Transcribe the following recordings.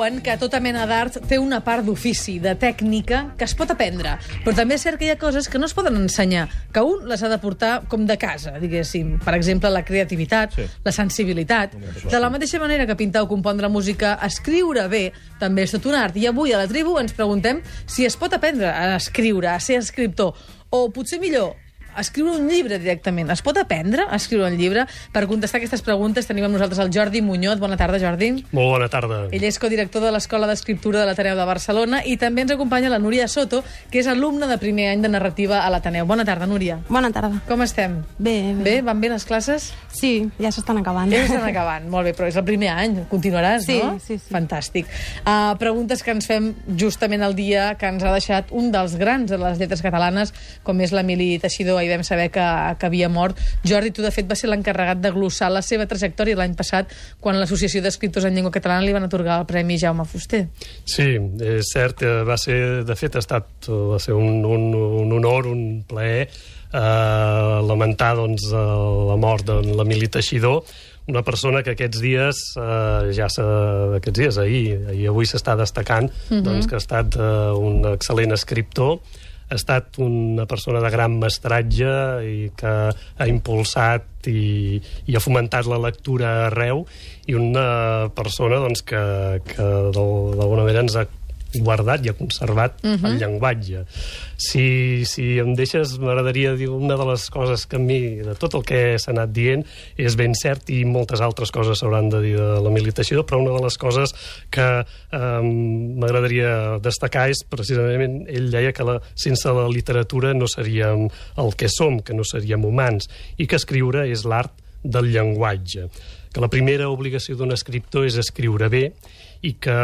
diuen que tota mena d'art té una part d'ofici, de tècnica, que es pot aprendre. Però també és cert que hi ha coses que no es poden ensenyar, que un les ha de portar com de casa, diguéssim. Per exemple, la creativitat, la sensibilitat. De la mateixa manera que pintar o compondre música, escriure bé, també és tot un art. I avui a la tribu ens preguntem si es pot aprendre a escriure, a ser escriptor, o potser millor, a escriure un llibre directament. Es pot aprendre a escriure un llibre? Per contestar aquestes preguntes tenim amb nosaltres el Jordi Muñoz. Bona tarda, Jordi. Molt bona tarda. Ell és codirector de l'Escola d'Escriptura de l'Ateneu de Barcelona i també ens acompanya la Núria Soto, que és alumna de primer any de narrativa a l'Ateneu. Bona tarda, Núria. Bona tarda. Com estem? Bé. Bé? Van bé les classes? Sí, ja s'estan acabant. Ja s'estan acabant, molt bé, però és el primer any, continuaràs, sí, no? Sí. Fantàstic. Preguntes que ens fem justament el dia que ens ha deixat un dels grans de les lletres catalanes, com és l'Emili Teixidor. Ahir vam saber que havia mort. Jordi, tu de fet vas ser l'encarregat de glossar la seva trajectòria l'any passat quan l'Associació d'Escriptors en Llengua Catalana li van atorgar el Premi Jaume Fuster. Sí, és cert, va ser un honor, un plaer lamentar doncs, la mort de l'Emili Teixidor, una persona que aquests dies, ahir avui s'està destacant, doncs, que ha estat un excel·lent escriptor, ha estat una persona de gran mestratge i que ha impulsat i ha fomentat la lectura arreu, i una persona doncs, que d'alguna manera ens ha guardat i ha conservat el llenguatge. Si em deixes, m'agradaria dir una de les coses que a mi, de tot el que s'ha anat dient, és ben cert, i moltes altres coses s'hauran de dir de l'Emili Teixidor, però una de les coses que m'agradaria destacar és precisament, ell deia que sense la literatura no seríem el que som, que no seríem humans, i que escriure és l'art del llenguatge, que la primera obligació d'un escriptor és escriure bé, i que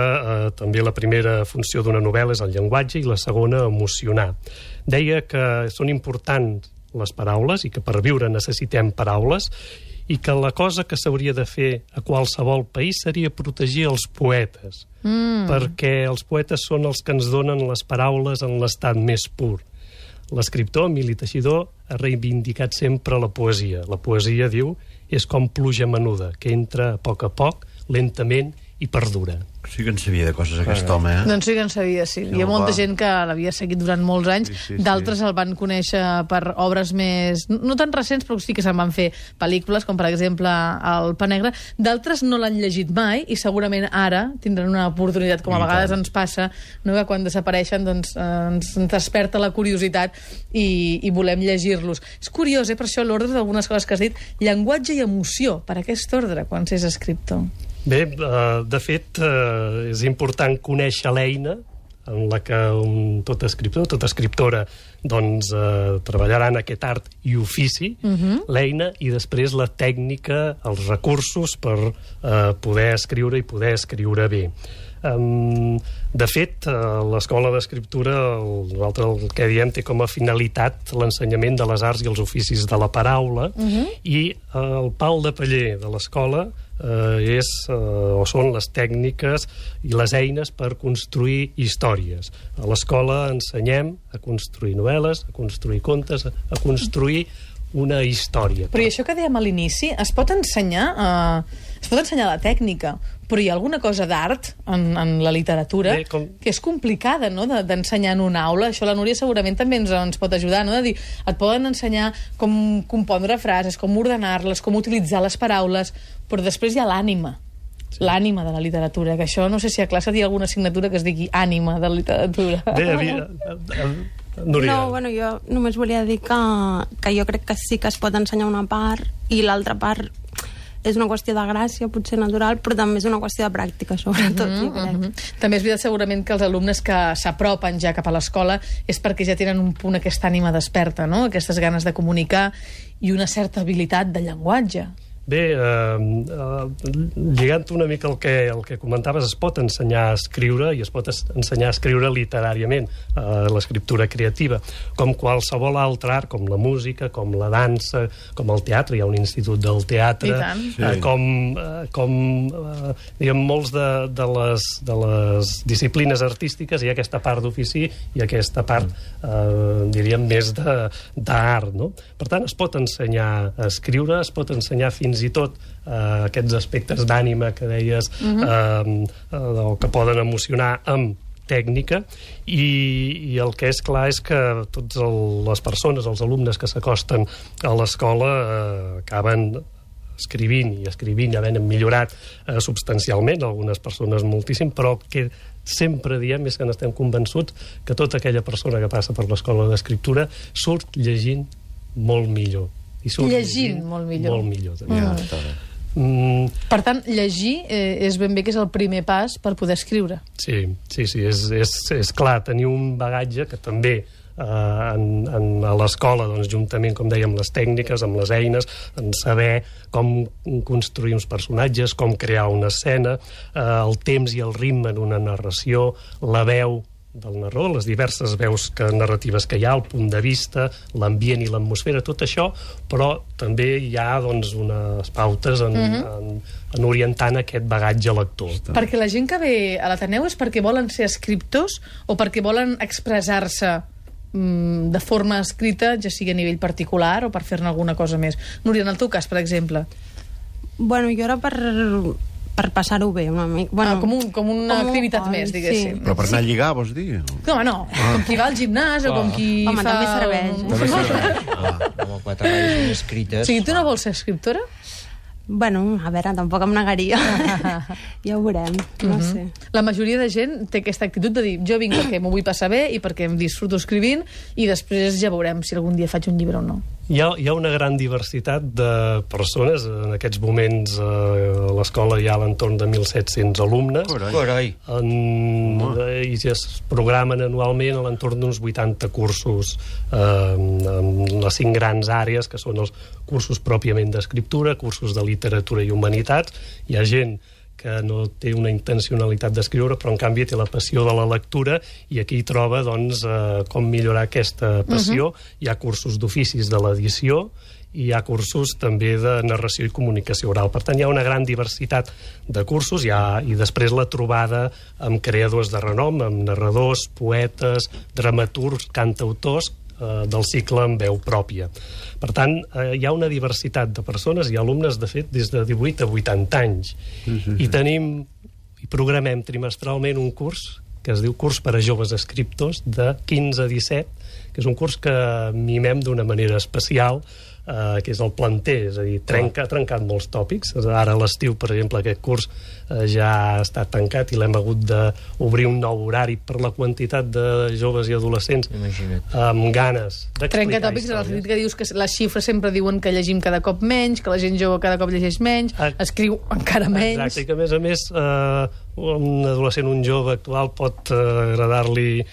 també la primera funció d'una novel·la és el llenguatge i la segona emocionar. Deia que són importants les paraules i que per viure necessitem paraules, i que la cosa que s'hauria de fer a qualsevol país seria protegir els poetes, perquè els poetes són els que ens donen les paraules en l'estat més pur. L'escriptor, Emili Teixidor, ha reivindicat sempre la poesia. La poesia, diu, és com pluja menuda, que entra a poc, lentament i perdura. Sí que en sabia de coses aquest home, eh? Doncs sí que en sabia, sí. Hi ha molta gent que l'havia seguit durant molts anys, d'altres el van conèixer per obres més... no tan recents, però sí que se'n van fer pel·lícules, com per exemple El Pa Negre. D'altres no l'han llegit mai i segurament ara tindran una oportunitat, com a vegades ens passa, no? Que quan desapareixen doncs, ens desperta la curiositat i volem llegir-los. És curiós, per això l'ordre d'algunes coses que has dit, llenguatge i emoció, per aquest ordre, quan s'és escriptor. Bé, de fet, és important conèixer l'eina en la que tot escriptor, tota escriptora, doncs, treballarà en aquest art i ofici, l'eina, i després la tècnica, els recursos per poder escriure i poder escriure bé. De fet, l'Escola d'Escriptura, nosaltres el que diem, té com a finalitat l'ensenyament de les arts i els oficis de la paraula, i el pal de paller de l'escola són les tècniques i les eines per construir històries. A l'escola ensenyem a construir novel·les, a construir contes, a construir una història. Però i això que dèiem a l'inici, es pot ensenyar la tècnica, però hi ha alguna cosa d'art en la literatura que és complicada, no?, d'ensenyar en una aula. Això la Núria segurament també ens pot ajudar, no?, de dir, et poden ensenyar com compondre frases, com ordenar-les, com utilitzar les paraules, però després hi ha l'ànima. L'ànima de la literatura, que això no sé si a classe hi ha alguna assignatura que es digui ànima de la literatura. Núria. No, bueno, jo només volia dir que jo crec que sí que es pot ensenyar una part i l'altra part és una qüestió de gràcia, potser natural, però també és una qüestió de pràctica, sobretot, jo crec. També és veritat segurament que els alumnes que s'apropen ja cap a l'escola és perquè ja tenen un punt aquesta ànima desperta, no?, aquestes ganes de comunicar i una certa habilitat de llenguatge. Bé, lligant una mica el que comentaves, es pot ensenyar a escriure i es pot ensenyar a escriure literàriament, l'escriptura creativa, com qualsevol altre art, com la música, com la dansa, com el teatre, hi ha un institut del teatre, diguem, molts de les disciplines artístiques hi ha aquesta part d'ofici i aquesta part, diríem, més d'art, no? Per tant, es pot ensenyar a escriure, es pot ensenyar fins fins i tot aquests aspectes d'ànima que deies, o que poden emocionar amb tècnica, i el que és clar és que totes les persones, els alumnes que s'acosten a l'escola acaben escrivint, havent millorat substancialment, algunes persones moltíssim, però que sempre diem, és que n'estem convençuts, que tota aquella persona que passa per l'escola d'escriptura surt llegint molt millor. I surt llegint molt millor. Molt millor, també. Per tant, llegir és ben bé que és el primer pas per poder escriure. Sí, és clar, tenir un bagatge que també a l'escola, doncs, juntament, com dèiem, les tècniques, amb les eines, en saber com construir uns personatges, com crear una escena, el temps i el ritme en una narració, la veu del narrador, les diverses veus narratives que hi ha, el punt de vista, l'ambient i l'atmosfera, tot això, però també hi ha, doncs, unes pautes en orientant aquest bagatge lector. Perquè la gent que ve a l'Ateneu és perquè volen ser escriptors o perquè volen expressar-se de forma escrita, ja sigui a nivell particular o per fer-ne alguna cosa més. Núria, en el teu cas, per exemple. Bueno, jo era per passar-ho bé una mica. Bueno, com una activitat més, diguéssim. Sí. Però per anar a lligar, vols dir? No, com qui va al gimnàs o com qui fa... Home, també serveix. Home, 4 vegades escrites... O sigui, tu no vols ser escriptora? Bueno, a veure, tampoc em negaria. Ja ho veurem, no sé. La majoria de gent té aquesta actitud de dir jo vinc perquè m'ho vull passar bé i perquè em disfruto escrivint i després ja veurem si algun dia faig un llibre o no. Hi ha una gran diversitat de persones. En aquests moments a l'escola hi ha a l'entorn de 1.700 alumnes. Carai. I es programen anualment a l'entorn d'uns 80 cursos en les 5 grans àrees, que són els cursos pròpiament d'escriptura, cursos de literatura i humanitats. Hi ha gent que no té una intencionalitat d'escriure, però en canvi té la passió de la lectura i aquí troba, doncs, com millorar aquesta passió. Hi ha cursos d'oficis de l'edició i hi ha cursos també de narració i comunicació oral. Per tant, hi ha una gran diversitat de cursos i després la trobada amb creadors de renom, amb narradors, poetes, dramaturgs, cantautors, del cicle en veu pròpia. Per tant, hi ha una diversitat de persones i alumnes, de fet, des de 18 a 80 anys. I programem trimestralment un curs que es diu Curs per a joves escriptors de 15 a 17, que és un curs que mimem d'una manera especial, que és el planter, és a dir, ha trencat molts tòpics. Ara a l'estiu, per exemple, aquest curs ja ha estat tancat i l'hem hagut d'obrir un nou horari per la quantitat de joves i adolescents amb ganes d'explicar Trenca tòpics en el sentit que dius que les xifres sempre diuen que llegim cada cop menys, que la gent jove cada cop llegeix menys, escriu encara menys. Exacte, i que a més un adolescent, un jove actual pot agradar-li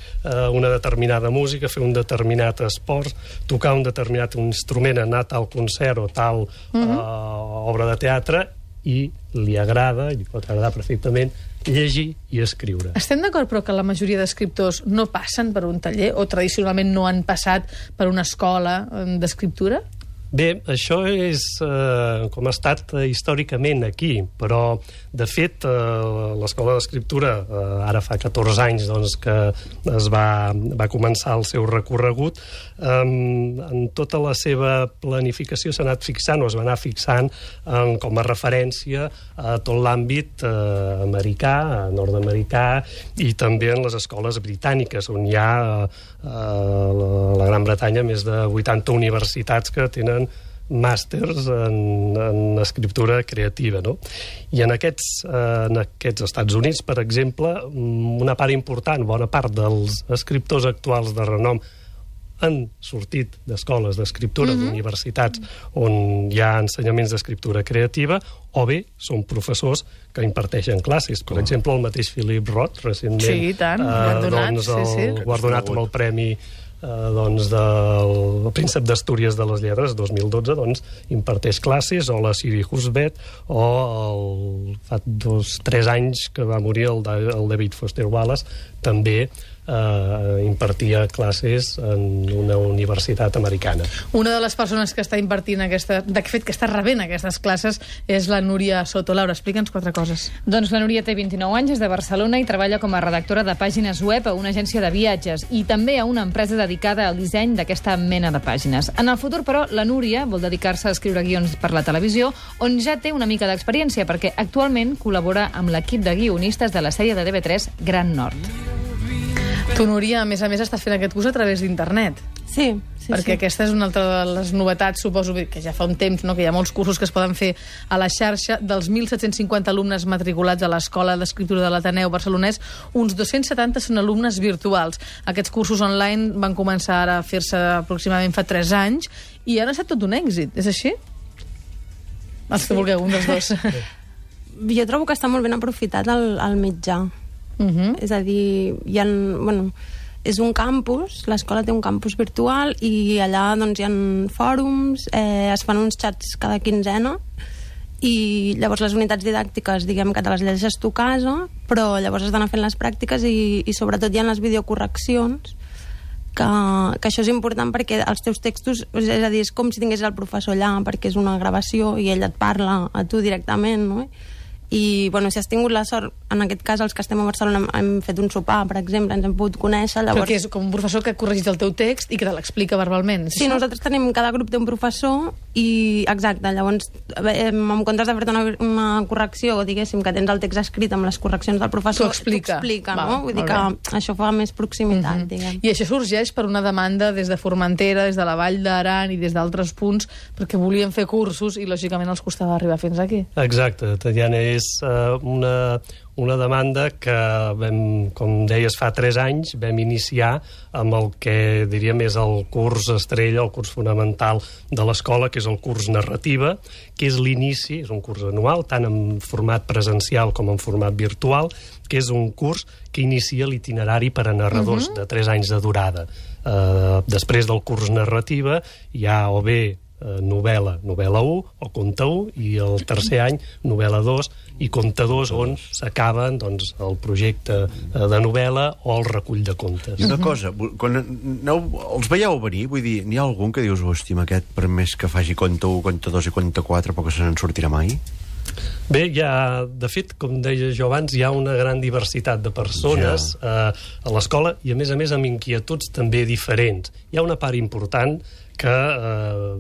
una determinada música, fer un determinat esport, tocar un determinat instrument, anar a tal concert o tal obra de teatre, i li agrada, i li pot agradar perfectament, llegir i escriure. Estem d'acord, però, que la majoria d'escriptors no passen per un taller o tradicionalment no han passat per una escola d'escriptura? Bé, això és com ha estat històricament aquí, però, de fet, l'Escola d'Escriptura ara fa 14 anys doncs, que es va començar el seu recorregut. En tota la seva planificació s'ha anat fixant, o es va anar fixant com a referència a tot l'àmbit americà, nord-americà, i també en les escoles britàniques, on hi ha a la Gran Bretanya més de 80 universitats que tenen màsters en escriptura creativa, no? I en aquests Estats Units, per exemple, una part important, bona part dels escriptors actuals de renom han sortit d'escoles d'escriptura, d'universitats on hi ha ensenyaments d'escriptura creativa, o bé són professors que imparteixen classes. Per exemple, el mateix Philip Roth, recentment guardonat amb el premi del Príncep d'Astúries de les Lletres 2012, imparteix classes, o la Siri Husbeth, o fa 2-3 anys que va morir el David Foster Wallace, també impartia classes en una universitat americana. Una de les persones que està impartint de fet, que està rebent aquestes classes és la Núria Soto. Laura, explica'ns 4 coses. Doncs la Núria té 29 anys, és de Barcelona i treballa com a redactora de pàgines web a una agència de viatges i també a una empresa dedicada al disseny d'aquesta mena de pàgines. En el futur, però, la Núria vol dedicar-se a escriure guions per la televisió, on ja té una mica d'experiència, perquè actualment col·labora amb l'equip de guionistes de la sèrie de TV3 Gran Nord. Tu, Núria, a més, estàs fent aquest curs a través d'internet. Sí. Perquè aquesta és una altra de les novetats, suposo que ja fa un temps, no?, que hi ha molts cursos que es poden fer a la xarxa. Dels 1.750 alumnes matriculats a l'Escola d'Escriptura de l'Ateneu barcelonès, uns 270 són alumnes virtuals. Aquests cursos online van començar a fer-se aproximadament fa 3 anys i han estat tot un èxit, és així? Els que vulgueu, un dels dos. Jo trobo que està molt ben aprofitat el mitjà. És a dir, és un campus, l'escola té un campus virtual i allà doncs, hi ha fòrums, es fan uns xats cada quinzena i llavors les unitats didàctiques, diguem que te les llegeixes tu a casa, però llavors has d'anar fent les pràctiques i sobretot hi ha les videocorreccions, que això és important perquè els teus textos, és a dir, és com si tingués el professor allà, perquè és una gravació i ell et parla a tu directament, no? I, si has tingut la sort, en aquest cas els que estem a Barcelona hem fet un sopar, per exemple, ens hem pogut conèixer, llavors... Però que és com un professor que corregeix el teu text i que te l'explica verbalment. Sí, nosaltres tenim, cada grup té un professor i, exacte, llavors, en comptes de fer-te una correcció, diguéssim, que tens el text escrit amb les correccions del professor, t'ho explica, no? Vull dir que això fa més proximitat, diguem. I això sorgeix per una demanda des de Formentera, des de la Vall d'Aran i des d'altres punts, perquè volien fer cursos i, lògicament, els costava arribar fins aquí. Exacte, Tatiana, és una demanda que com deies, fa 3 anys vam iniciar amb el que diríem és el curs estrella, el curs fonamental de l'escola, que és el curs narrativa, que és l'inici, és un curs anual, tant en format presencial com en format virtual, que és un curs que inicia l'itinerari per a narradors de 3 anys de durada. Després del curs narrativa hi ha o bé novel·la 1 o conte 1 i el tercer any novel·la 2 i conte 2 on s'acaben el projecte de novel·la o el recull de contes. I una cosa, quan els veieu venir, vull dir, n'hi ha algun que dius, hòstia, aquest per més que faci conte 1, conte 2 i conte 4 però que se n'en sortirà mai? Bé, de fet, com deia jo abans, hi ha una gran diversitat de persones a l'escola i, a més amb inquietuds també diferents. Hi ha una part important que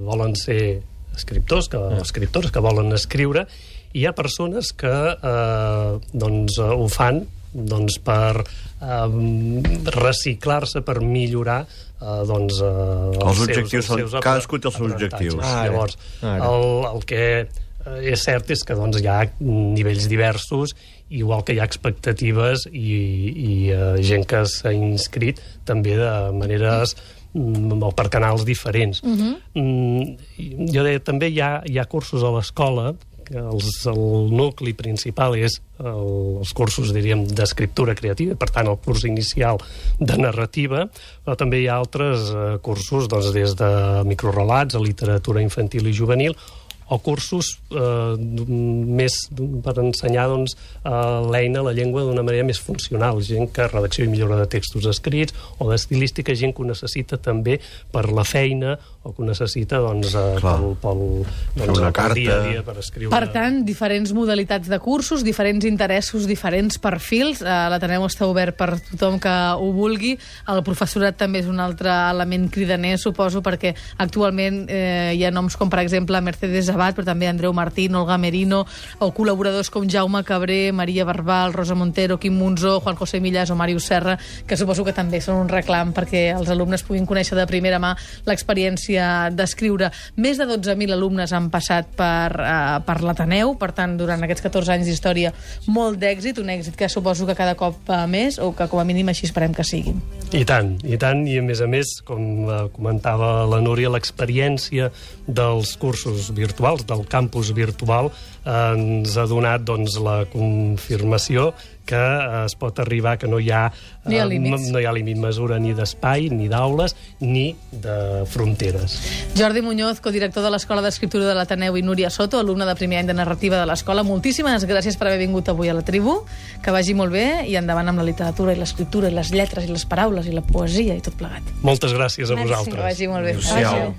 volen ser escriptors, que volen escriure, i hi ha persones que ho fan per reciclar-se, per millorar els objectius. Cadascú té els seus objectius. Llavors, el que és cert és que hi ha nivells diversos, igual que hi ha expectatives i gent que s'ha inscrit també de maneres o per canals diferents. Jo deia, també hi ha cursos a l'escola, el nucli principal és els cursos, diríem, d'escriptura creativa, per tant, el curs inicial de narrativa, però també hi ha altres cursos des de microrelats a literatura infantil i juvenil, o cursos més per ensenyar l'eina, la llengua, d'una manera més funcional, gent que redacció i millora de textos escrits o d'estilística, gent que ho necessita també per la feina o que ho necessita pel dia a dia per escriure. Per tant, diferents modalitats de cursos, diferents interessos, diferents perfils. L'Ateneu està obert per tothom que ho vulgui. El professorat també és un altre element cridaner, suposo, perquè actualment hi ha noms com, per exemple, Mercedes Abad, però també Andreu Martín, Olga Merino, o col·laboradors com Jaume Cabré, Maria Barbal, Rosa Montero, Quim Monzó, Juan José Millas o Màrius Serra, que suposo que també són un reclam perquè els alumnes puguin conèixer de primera mà l'experiència d'escriure. Més de 12.000 alumnes han passat per l'Ateneu, per tant, durant aquests 14 anys d'història, molt d'èxit, un èxit que suposo que cada cop va més, o que com a mínim així esperem que sigui. I tant, i a més, com comentava la Núria, l'experiència dels cursos virtuals virtuals, del campus virtual, ens ha donat doncs, la confirmació que es pot arribar, que no hi ha límit mesura ni d'espai, ni d'aules, ni de fronteres. Jordi Muñoz, codirector de l'Escola d'Escriptura de l'Ateneu, i Núria Soto, alumne de primer any de narrativa de l'escola. Moltíssimes gràcies per haver vingut avui a la tribu, que vagi molt bé, i endavant amb la literatura i l'escriptura i les lletres i les paraules i la poesia i tot plegat. Moltes gràcies a vosaltres. Que vagi molt bé. Adéu-siau.